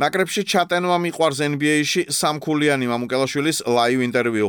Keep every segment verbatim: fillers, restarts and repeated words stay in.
ნაკრებში ჩატენვა მიყვარს N B A-ში სამქულიანი მამუკელაშვილის live interview.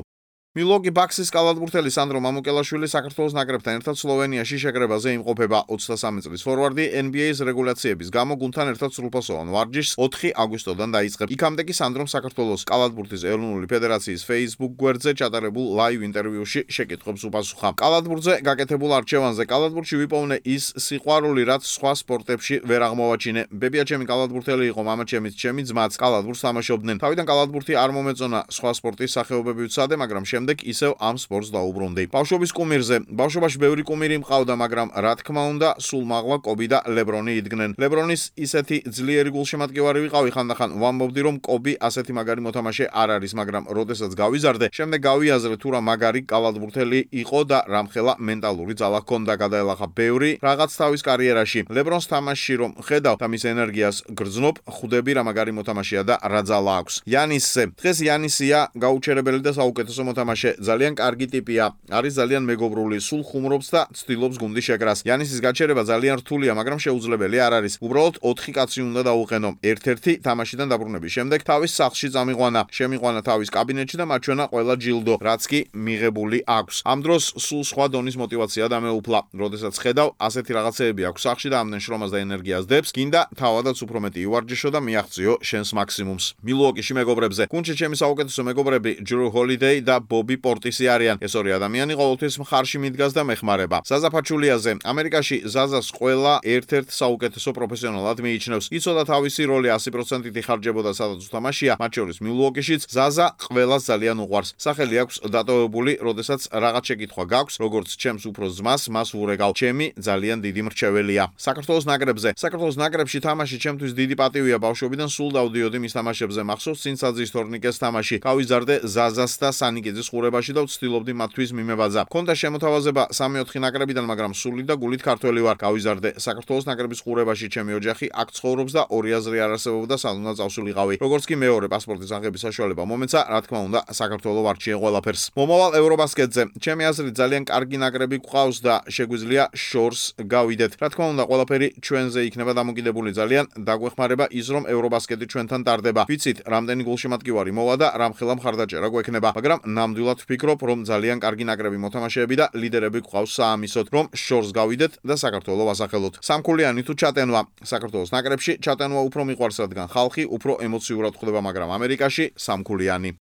Milwaukee Bucks-ის კალათბურთელი სანდრო მამუკელაშვილი საქართველოს ნაკრებთან ერთად სლოვენიაში შეკრებაზე იმყოფება ოცდასამი წლის ფორვარდი N B A-ის რეგულაციების გამო გუნდთან ერთად სრულფასოვან ვარჯიშს ოთხი აგვისტოდან დაიწყებს. იქამდე კი სანდრომ საქართველოს კალათბურთის ეროვნული ფედერაციის Facebook გვერდზე ჩატარებულ live ინტერვიუში შეკითხვებს უპასუხა. კალათბურთზე გაკეთებულ არჩევანზე კალათბურთში ვიპოვნე ის სიყვარული, რაც სხვა სპორტებში ვერ აღმოვაჩინე. ბებია ჩემი კალათბურთელი იყო, მამაჩემიც, ჩემი ძმაც კალათბურთს თამაშობდნენ. თავიდან კალათბურთი არ მომეწონა, სხვა სპორტის სახეობები ვცადე, მაგრამ შემდეგ ისევ ამ სპორტს დაუბრუნდი. ბავშვობის კუმირზე, ბავშვობაში ბევრი კუმირი მყავდა, მაგრამ რა თქმა უნდა, სულ მაღლა კობი და ლებრონი იდგნენ. ლებრონის ისეთი ძლიერი გულშემატკივარი ვიყავი, ხანდახან ვამბობდი, რომ კობი ასეთი მაგარი მოთამაშე არ არის, მაგრამ როდესაც გავიზარდე, შემდეგ გავიაზრე თუ რა მაგარი კალათბურთელი იყო და რამხელა მენტალური ძალა ჰქონდა, გადაელახა ბევრი რაღაც თავის კარიერაში. ლებრონს თამაშში რომ ხედავ და მის ენერგიას გრძნობ, ხვდები რა მაგარი მოთამაშეა და რა ძალა აქვს. იანისზე, დღეს იანისია გაუჩერებელი და საუკეთესო მოთამაშე. ძალიან კარგი ტიპია, არის ძალიან მეგობრული, სულ ხუმრობს და ცდილობს გუნდის შეკრას. იანისის გაჩერება ძალიან რთულია, მაგრამ შეუძლებელი არ არის. უბრალოდ ოთხი კაცი უნდა დაუყენო. ერთ-ერთი თამაშიდან დაბრუნების შემდეგ თავის სახლში წამიყვანა, შემიყვანა თავის კაბინეტში და მაჩვენა ყველა ჯილდო, რაც კი მიღებული აქვს. ამ დროს სულ სხვა დონის მოტივაცია დამეუფლა. როდესაც ხედავ, ასეთი რაღაცეები აქვს სახლში და ამდენ შრომას და ენერგიას დებს, გინდა თავადაც უფრო მეტი ივარჯიშო და მიაღწიო შენს მაქსიმუმს. მილუოკიში მეგობრებზე, გუნდში ჩემი საუკეთესო მეგობრები Drew Holiday და Bobby Portis არიან. ეს ორი ადამიანი ყოველთვის მხარში მიდგას და მეხმარება. ზაზა ფაჩულიაზე, ამერიკაში ზაზას ყველა ერთ-ერთ საუკეთესო პროფესიონალად მიიჩნევს. იცოდა თავისი როლი ასი პროცენტით იხარჯებოდა სადაც უთამაშია, მათ შორის მილუოკიშიც ზაზა ყველას ძალიან უყვარს. სახელი აქვს დატოვებული, როდესაც რაღაც შეკითხვა გაქვს, როგორც ჩემს უფროს ძმას, მას ვურეკავ. ჩემი ძალიან დიდი მრჩეველია. საქართველოს ნაკრებზე, საქართველოს ნაკრებში თამაში ჩემთვის დიდი პატივია. ბავშვობიდან სულ დავდიოდი მის თამაშებზე, მახსოვს წინსაძის თორნიკეს თამაში. გავიზარდე ზაზას და სანიკიძის ხურებაში და ვცდილობდი მათთვის მიმებაძა. მქონდა შემოთავაზება სამი-ოთხი ნაკრებიდან, მაგრამ სული და გულით ქართველი ვარ. გავიზარდე საქართველოს ნაკრების ხურებაში, ჩემი ოჯახი აქ ცხოვრობს და ორი აზრი არ არსებობდა, სად უნდა წავსულიყავი. როგორც კი მეორე პასპორტის აღების საშუალება მომეცა, რა თქმა უნდა, საქართველოს ვარჩიე ყველაფერს. მომავალ ევრობასკეტზე, ჩემი აზრით ძალიან კარგი ნაკრები გვყავს და შეგვიძლია შორს გავიდეთ. რა თქმა უნდა, ყველაფერი ჩვენზე იქნება დამოკიდებული. ძალიან დაგვეხმარება ის, რომ ევრობასკეტი ჩვენთან ტარდება. ვიცით, რამდენი გულშემატკივარი მოვა და რამხელა მხარდაჭერა გვექნება, მაგრამ ნამდვილად ვფიქრობ, რომ ძალიან კარგი ნაკრები მოთამაშეები და ლიდერები გვყავს საამისოდ, რომ შორს გავიდეთ და საქართველოს ვასახელოთ. სამქულიანი თუ ჩატენვა, საქართველოს ნაკრებში ჩატენვა უფრო მიყვარს, რადგან ხალხი უფრო ემოციურად ხვდება, მაგრამ ამერიკაში სამქულიანი.